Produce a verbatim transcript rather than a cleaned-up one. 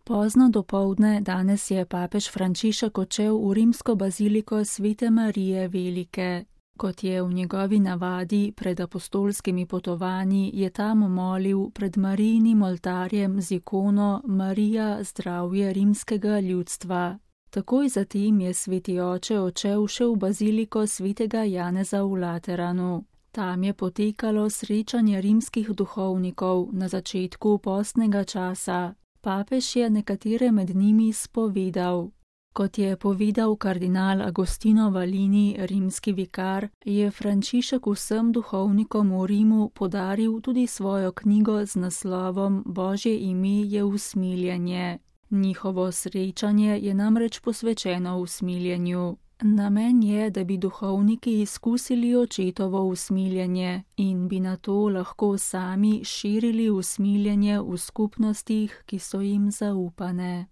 Pozno dopoldne danes je papež Frančišek odšel v rimsko baziliko Svete Marije Velike. Kot je v njegovi navadi pred apostolskimi potovanji, je tam molil pred Marijinim oltarjem z ikono Marija, zdravje rimskega ljudstva. Takoj zatem je sveti oče odšel še v baziliko svetega Janeza v Lateranu. Tam je potekalo srečanje rimskih duhovnikov na začetku postnega časa. Papež je nekatere med njimi spovedal. Kot je povedal kardinal Agostino Valini, rimski vikar, je Frančišek vsem duhovnikom v Rimu podaril tudi svojo knjigo z naslovom Božje ime je usmiljenje. Njihovo srečanje je namreč posvečeno usmiljenju. Namen je, da bi duhovniki izkusili očetovo usmiljenje in bi nato lahko sami širili usmiljenje v skupnostih, ki so jim zaupane.